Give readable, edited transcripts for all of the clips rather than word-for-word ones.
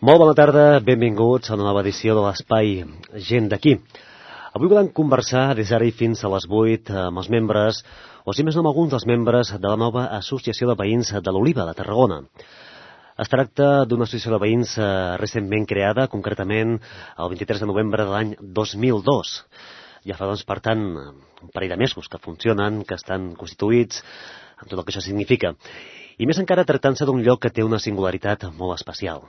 Molt bona tarda, benvinguts a una nova edició de l'Espai Gent d'aquí. Avui volem conversar des d'ara i fins a les 8 amb els membres, o si més no amb alguns dels membres de la nova Associació de Veïns de l'Oliva, de Tarragona. Es tracta d'una associació de veïns recentment creada, concretament el 23 de novembre de l'any 2002. Ja fa, doncs, per tant, un parell de mesos que funcionen, que estan constituïts, amb tot el que això significa. I més encara tractant-se d'un lloc que té una singularitat molt especial.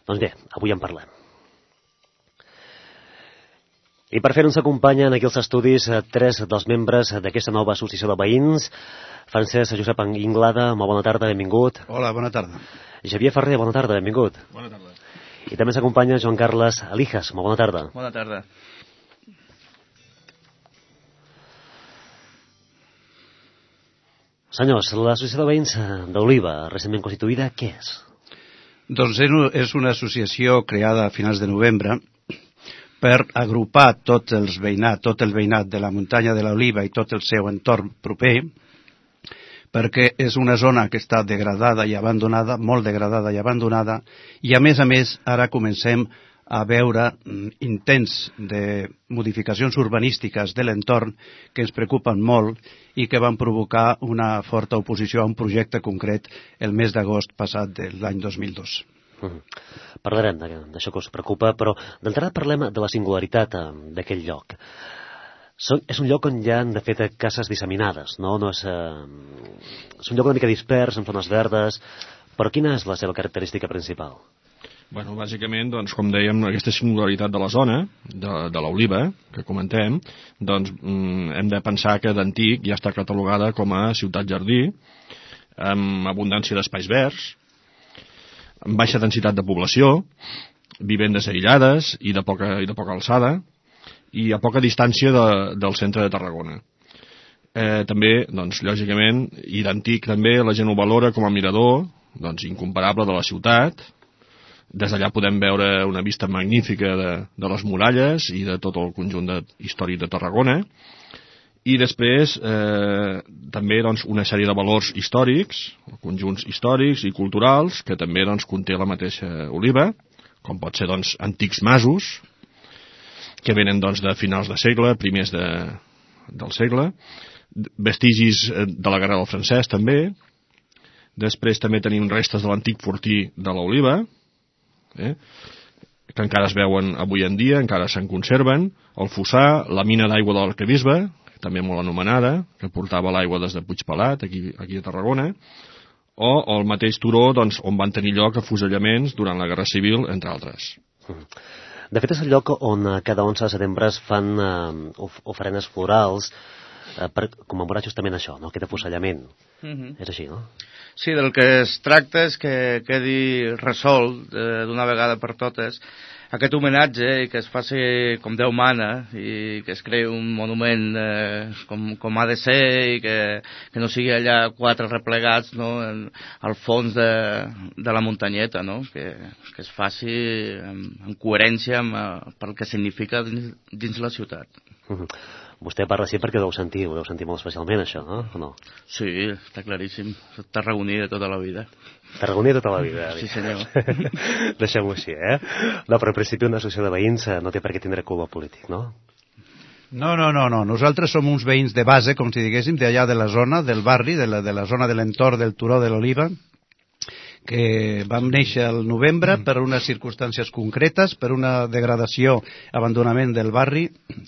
Doncs bé, avui en parlem. I per fer-ho ens acompanyen aquí als estudis tres dels membres d'aquesta nova associació de veïns. Francesc Josep Inglada, molt bona tarda, benvingut. Hola, bona tarda. Javier Ferrer, bona tarda, benvingut. Bona tarda. I també s'acompanya Joan Carles Alijas, molt bona tarda. Bona tarda. Senyors, l'associació de veïns d'Oliva, recentment constituïda, què és? Doncs és una associació creada a finals de novembre per agrupar tot el veïnat de la muntanya de l'Oliva i tot el seu entorn proper, perquè és una zona que està degradada i abandonada, molt degradada i abandonada, i a més, ara comencem a veure intents de modificacions urbanístiques de l'entorn que ens preocupen molt i que van provocar una forta oposició a un projecte concret el mes d'agost passat de l'any 2002. Parlarem d'això que us preocupa, però d'entrada parlem de la singularitat d'aquell lloc. És un lloc on hi ha, de fet, cases disseminades, no? És un lloc una mica dispers, amb zones verdes, però quina és la seva característica principal? Bueno, bàsicament, doncs, com dèiem, aquesta singularitat de la zona, de l'Oliva, que comentem, doncs hem de pensar que d'antic ja està catalogada com a ciutat-jardí, amb abundància d'espais verds, amb baixa densitat de població, vivendes aïllades i de poca alçada, i a poca distància del centre de Tarragona. També, doncs, lògicament, i d'antic també, la gent ho valora com a mirador, doncs, incomparable de la ciutat. Des d'allà podem veure una vista magnífica de les muralles i de tot el conjunt històric de Tarragona. I després, també, doncs, una sèrie de valors històrics, conjunts històrics i culturals, que també, doncs, conté la mateixa Oliva, com pot ser, doncs, antics masos, que venen, doncs, de finals de segle, primers del segle, vestigis de la Guerra del Francès, també. Després també tenim restes de l'antic fortí de l'Oliva, que encara es veuen avui en dia, encara se'n conserven, el fossar, la mina d'aigua de l'Arquebisbe, també molt anomenada, que portava l'aigua des de Puigpelat, aquí a Tarragona, o el mateix turó, doncs, on van tenir lloc afusellaments durant la Guerra Civil, entre altres. De fet, és el lloc on cada 11 de setembre es fan ofrenes florals per commemorar justament això, no? Aquest afusellament. És així, no? Sí, del que es tracta és que quedi resolt d'una vegada per totes aquest homenatge i que es faci com Déu mana i que es creï un monument com ha de ser i que no sigui allà quatre replegats, no, al fons de la muntanyeta, no? Que es faci en coherència amb pel que significa dins la ciutat. Vostè parla així perquè ho deu sentir molt especialment, això, no? O no? Sí, està claríssim. Tarragoní de tota la vida. Tarragoní de tota la vida. Sí, senyor. Deixem-ho així, No, però en principi una associació de veïns no té per què tindre color polític, no? No. Nosaltres som uns veïns de base, com si diguéssim, d'allà de la zona, del barri, de la zona de l'entorn del turó de l'Oliva, que vam néixer al novembre per unes circumstàncies concretes, per una degradació, abandonament del barri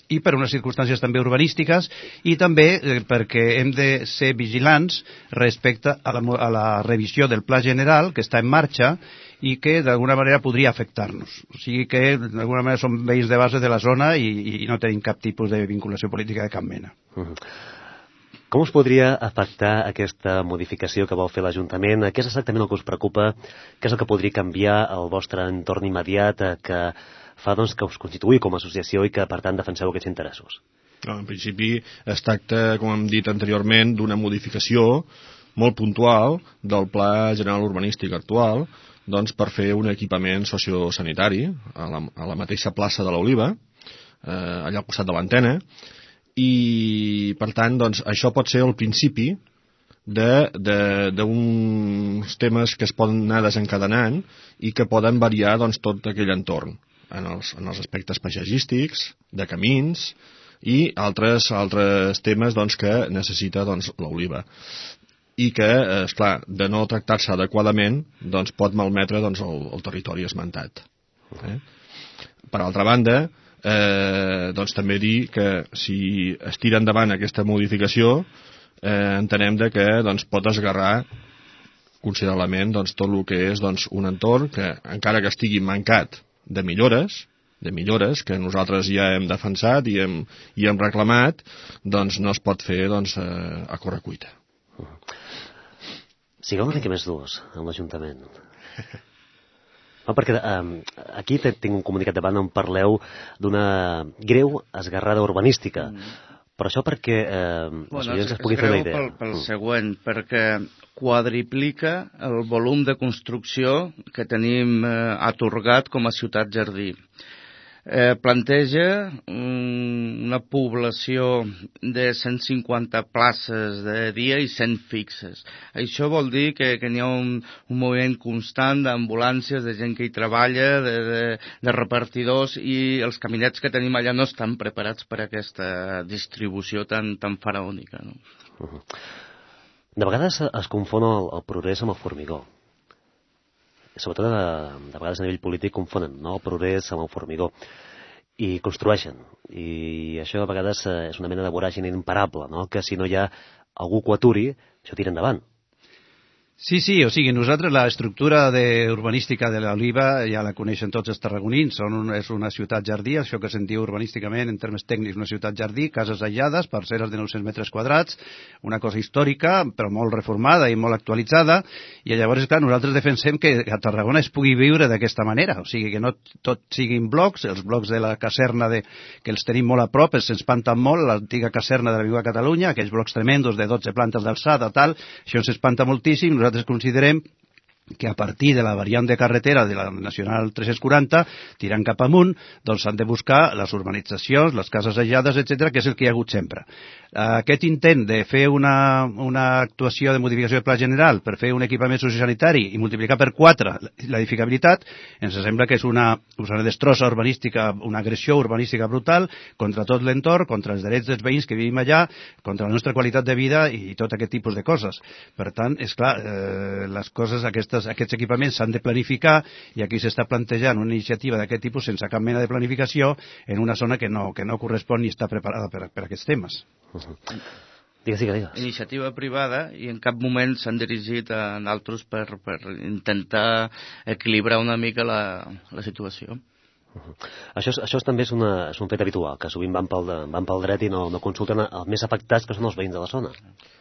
i per unes circumstàncies també urbanístiques i també perquè hem de ser vigilants respecte a la revisió del Pla General que està en marxa i que d'alguna manera podria afectar-nos. O sigui que d'alguna manera som veïns de base de la zona i no tenim cap tipus de vinculació política de cap mena. Com us podria afectar aquesta modificació que vol fer l'Ajuntament? Què és exactament el que us preocupa? Què és el que podria canviar el vostre entorn immediat que fa, doncs, que us constituï com a associació i que, per tant, defenseu aquests interessos? No, en principi es tracta, com hem dit anteriorment, d'una modificació molt puntual del Pla General Urbanístic actual, doncs, per fer un equipament sociosanitari a la mateixa plaça de l'Oliva, allà al costat de l'antena, i per tant, doncs, això pot ser el principi d'uns temes que es poden anar desencadenant i que poden variar doncs, tot aquell entorn en els aspectes paisatgístics, de camins i altres temes doncs, que necessita doncs, l'oliva i que, esclar, de no tractar-se adequadament doncs, pot malmetre doncs, el territori esmentat. Per altra banda, doncs, també dir que si es tira endavant aquesta modificació entenem que doncs, pot esgarrar considerablement doncs, tot el que és doncs, un entorn que, encara que estigui mancat de millores que nosaltres ja hem defensat i hem reclamat, doncs no es pot fer doncs, a correcuita. Sigueu una mica més durs amb l'Ajuntament. No, perquè aquí tinc un comunicat davant on parleu d'una greu esgarrada urbanística. Però això perquè els oients es puguin fer una idea. Pel següent, perquè quadriplica el volum de construcció que tenim atorgat com a ciutat jardí. Planteja una població de 150 places de dia i 100 fixes. Això vol dir que n'hi ha un moviment constant d'ambulàncies, de gent que hi treballa, de repartidors, i els caminets que tenim allà no estan preparats per a aquesta distribució tan faraònica. No? De vegades es confon el progrés amb el formigó. Sobretot de vegades a nivell polític confonen, no? El progrés amb el formigó i construeixen, i això a vegades és una mena de voràgine imparable, no? Que si no hi ha algú que ho aturi, això tira endavant. Sí, o sigui, nosaltres l'estructura urbanística de l'Oliva ja la coneixen tots els tarragonins, és una ciutat jardí, això que se'n diu urbanísticament, en termes tècnics, una ciutat jardí, cases aïllades, parceres de 900 metres quadrats, una cosa històrica, però molt reformada i molt actualitzada, i llavors, clar, nosaltres defensem que a Tarragona es pugui viure d'aquesta manera, o sigui, que no tot siguin blocs, els blocs de la caserna que els tenim molt a prop, se'ns espanten molt, l'antiga caserna de la Viva Catalunya, aquells blocs tremendos de 12 plantes d'alçada, tal, això ens espanta moltíssim. Nosaltres considerem que a partir de la variant de carretera de la Nacional 340, tirant cap amunt, doncs s'han de buscar les urbanitzacions, les cases aïllades, etc., que és el que hi ha hagut sempre. Aquest intent de fer una actuació de modificació de pla general per fer un equipament sociosanitari i multiplicar per 4 l'edificabilitat, ens sembla que és una destrossa urbanística, una agressió urbanística brutal contra tot l'entorn, contra els drets dels veïns que vivim allà, contra la nostra qualitat de vida i tot aquest tipus de coses. Per tant, és clar, les coses, aquests equipaments s'han de planificar, i aquí s'està plantejant una iniciativa d'aquest tipus sense cap mena de planificació en una zona que no correspon ni està preparada per aquests temes. Digues. Iniciativa privada, i en cap moment s'han dirigit a altres per intentar equilibrar una mica la situació. Això també és un fet habitual, que sovint van pel dret i no consulten els més afectats, que són els veïns de la zona.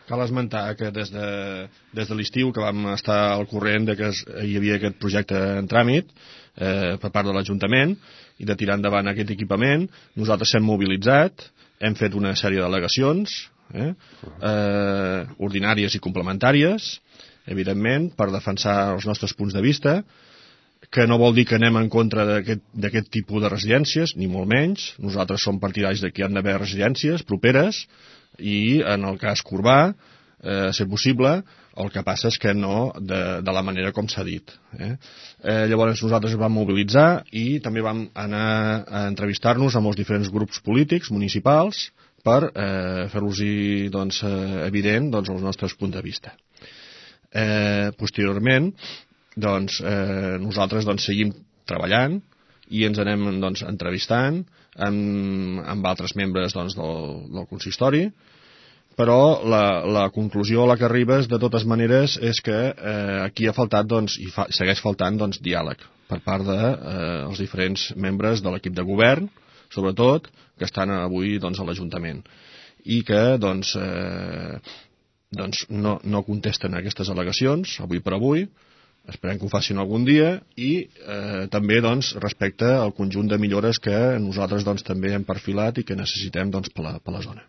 Cal esmentar que des de l'estiu que vam estar al corrent de que hi havia aquest projecte en tràmit per part de l'Ajuntament i de tirar endavant aquest equipament, nosaltres s'hem mobilitzat, hem fet una sèrie d'al·legacions ordinàries i complementàries, evidentment, per defensar els nostres punts de vista, que no vol dir que anem en contra d'aquest tipus de residències, ni molt menys. Nosaltres som partidaris de que hi ha d'haver residències properes i, en el cas Corbà, ser possible, el que passa és que no de la manera com s'ha dit. Llavors nosaltres ens vam mobilitzar i també vam anar a entrevistar-nos amb els diferents grups polítics municipals per fer-los evident els nostres punts de vista. Posteriorment, nosaltres seguim treballant i ens anem entrevistant amb altres membres del consistori, però la conclusió a la que arribes de totes maneres és que aquí ha faltat i segueix faltant diàleg per part dels diferents membres de l'equip de govern, sobretot, que estan avui a l'Ajuntament i que no contesten a aquestes al·legacions avui per avui. Esperem que ho facin algun dia i també respecte al conjunt de millores que nosaltres també hem perfilat i que necessitem per la zona.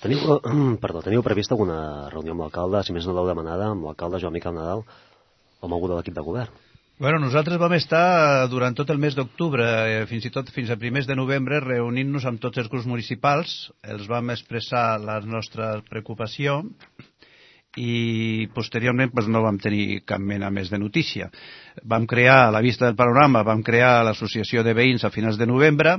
Teniu previst alguna reunió amb l'alcalde, si més no l'heu demanada, amb l'alcalde Joan Miquel Nadal o amb algú de l'equip de govern? Bueno, nosaltres vam estar durant tot el mes d'octubre, fins i tot fins a primers de novembre, reunint-nos amb tots els grups municipals, els vam expressar la nostra preocupació i posteriorment pues, no vam tenir cap mena més de notícia. Vam crear, a la vista del panorama, vam crear l'associació de veïns a finals de novembre,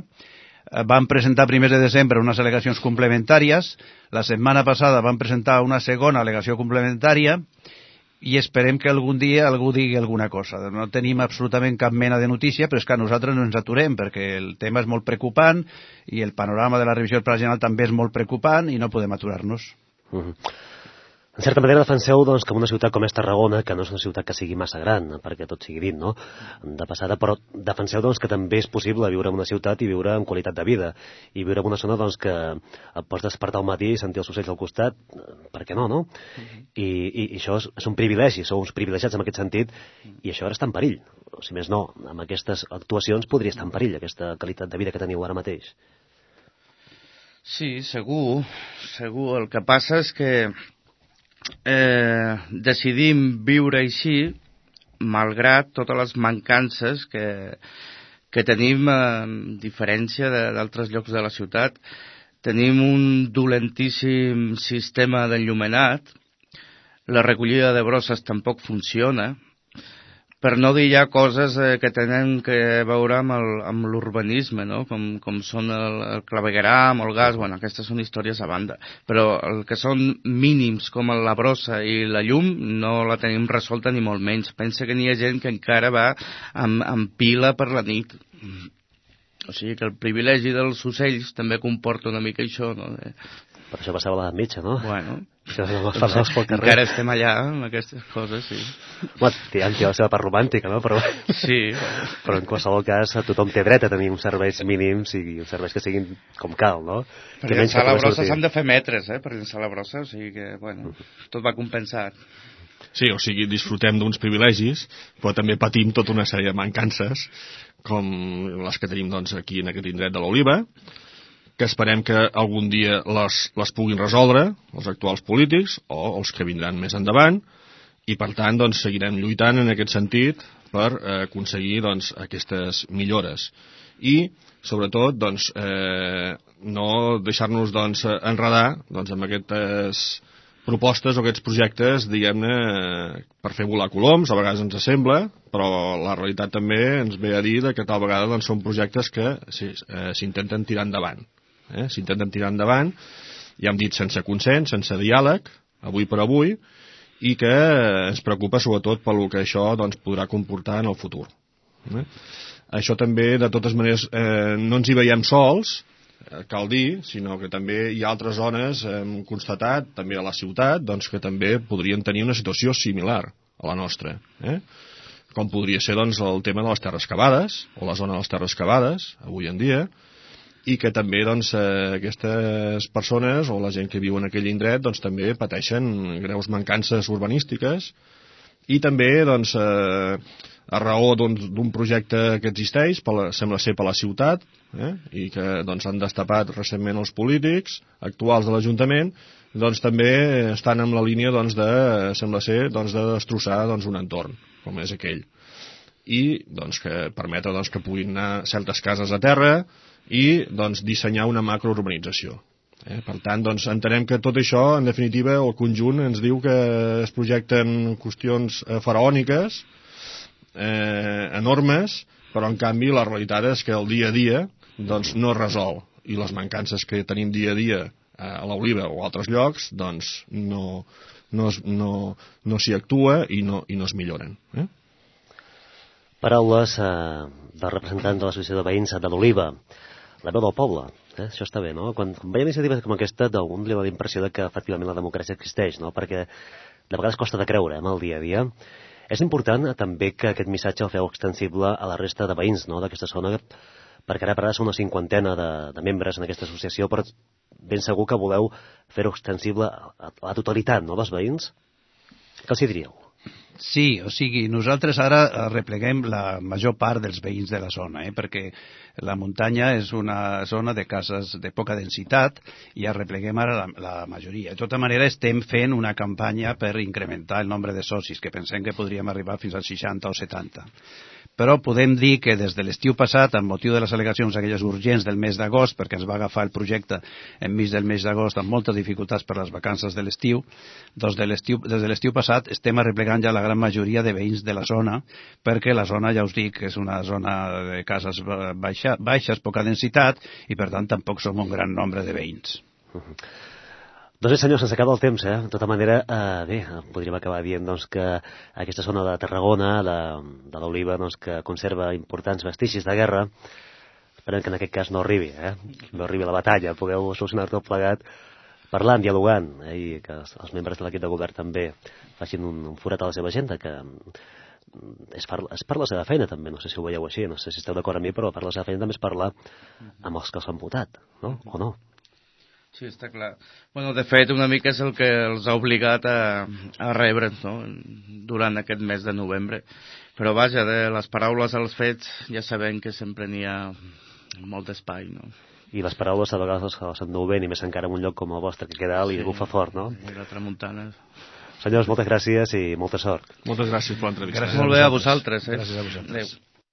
vam presentar a primers de desembre unes al·legacions complementàries, la setmana passada vam presentar una segona al·legació complementària i esperem que algun dia algú digui alguna cosa. No tenim absolutament cap mena de notícia, però és que nosaltres no ens aturem perquè el tema és molt preocupant i el panorama de la revisió del Pla General també és molt preocupant i no podem aturar-nos. En certa manera defenseu doncs, que una ciutat com és Tarragona, que no és una ciutat que sigui massa gran, perquè tot sigui dit, no? De passada, però defenseu doncs, que també és possible viure en una ciutat i viure amb qualitat de vida, i viure en una zona doncs, que et pots despertar al matí i sentir els ocells al costat, per què no, no? I això és un privilegi, sou uns privilegiats en aquest sentit, i això ara està en perill. O si més no, amb aquestes actuacions podria estar en perill aquesta qualitat de vida que teniu ara mateix. Sí, segur. El que passa és que decidim viure així malgrat totes les mancances que tenim a diferència d'altres llocs de la ciutat. Tenim un dolentíssim sistema d'enllumenat, la recollida de brosses tampoc funciona, per no dir ja coses que tenen que veure amb l'urbanisme, no? Com són el clavegueram o el gas, bueno, aquestes són històries a banda, però el que són mínims com la brossa i la llum no la tenim resolta ni molt menys. Pensa que n'hi ha gent que encara va amb pila per la nit. O sigui que el privilegi dels ocells també comporta una mica això, no? Per això passava l'edat mitja, no? Bueno, encara estem allà amb aquestes coses, sí. Bueno, tirant la seva part romàntica, no? Però, sí. Però en qualsevol cas tothom té dret a tenir uns serveis mínims i uns serveis que siguin com cal, no? Per llençar la brossa s'han de fer metres, per llençar la brossa, o sigui que, bueno, tot va compensat. Sí, o sigui, disfrutem d'uns privilegis, però també patim tota una sèrie de mancances, com les que tenim doncs, aquí en aquest indret de l'Oliva, que esperem que algun dia les puguin resoldre els actuals polítics o els que vindran més endavant, i per tant doncs, seguirem lluitant en aquest sentit per aconseguir doncs, aquestes millores. I, sobretot, doncs, no deixar-nos doncs, enredar doncs, amb aquestes propostes o aquests projectes, diguem-ne, per fer volar coloms, a vegades ens sembla, però la realitat també ens ve a dir que tal vegada doncs, són projectes que s'intenten tirar endavant. S'intenten tirar endavant, ja hem dit sense consens, sense diàleg, avui per avui, i que ens preocupa sobretot pel que això doncs, podrà comportar en el futur. Això també, de totes maneres, no ens hi veiem sols, cal dir, sinó que també hi ha altres zones, hem constatat, també a la ciutat, doncs, que també podrien tenir una situació similar a la nostra. Com podria ser doncs, el tema de les terres cavades, o la zona de les terres cavades, avui en dia, i que també doncs, aquestes persones o la gent que viu en aquell indret doncs, també pateixen greus mancances urbanístiques i també doncs, a raó d'un projecte que existeix, sembla ser per la ciutat, i que doncs, han destapat recentment els polítics actuals de l'Ajuntament, doncs, també estan en la línia doncs, sembla ser doncs, de destrossar doncs, un entorn com és aquell, i doncs, que permetre doncs, que puguin anar certes cases a terra i doncs, dissenyar una macrourbanització. Per tant, doncs, entenem que tot això, en definitiva, el conjunt ens diu que es projecten qüestions faraòniques, enormes, però en canvi la realitat és que el dia a dia doncs, no es resol, i les mancances que tenim dia a dia a l'Oliva o a altres llocs doncs, no s'hi actua i no es milloren. Paraules del representant de l'Associació de Veïns de l'Oliva, la veu del poble. Això està bé, no? Quan veiem iniciatives com aquesta, d'un li dona la impressió que efectivament la democràcia existeix, no? Perquè de vegades costa de creure el dia a dia. És important també que aquest missatge el feu extensible a la resta de veïns, no?, d'aquesta zona, perquè ara per ara són una 50 de membres en aquesta associació, però ben segur que voleu fer-ho extensible a la totalitat, no?, dels veïns. Què els hi diríeu? Sí, o sigui, nosaltres ara repleguem la major part dels veïns de la zona, perquè la muntanya és una zona de cases de poca densitat i repleguem ara la majoria. De tota manera, estem fent una campanya per incrementar el nombre de socis, que pensem que podríem arribar fins als 60 o 70. però podem dir que des de l'estiu passat, amb motiu de les al·legacions aquelles urgents del mes d'agost, perquè ens va agafar el projecte enmig del mes d'agost amb moltes dificultats per les vacances de l'estiu, doncs des de l'estiu passat estem arreplegant ja la gran majoria de veïns de la zona, perquè la zona, ja us dic, és una zona de cases baixes, poca densitat, i per tant tampoc som un gran nombre de veïns. Doncs bé, senyors, se'ns acaba el temps, eh? De tota manera, bé, podríem acabar dient doncs, que aquesta zona de Tarragona, de l'Oliva, doncs, que conserva importants vestigis de guerra, esperem que en aquest cas no arribi, no arribi a la batalla, pugueu solucionar tot plegat parlant, dialogant, i que els membres de l'equip de govern també facin un forat a la seva agenda, que és per la seva feina també, no sé si ho veieu així, no sé si esteu d'acord amb mi, però per la seva feina també és parlar amb els que els han votat, no? O no? Sí, està clar. Bueno, de fet, una mica és el que els ha obligat a rebre'ns, no?, durant aquest mes de novembre. Però vaja, de les paraules als fets ja sabem que sempre n'hi ha molt d'espai, no? I les paraules a vegades s'ennoven, i més encara en un lloc com el vostre, que queda alt i bufa fort, no? I la tramuntana. Senyors, moltes gràcies i molta sort. Moltes gràcies per l'entrevista. Molt bé a vosaltres. Gràcies a vosaltres. Adéu.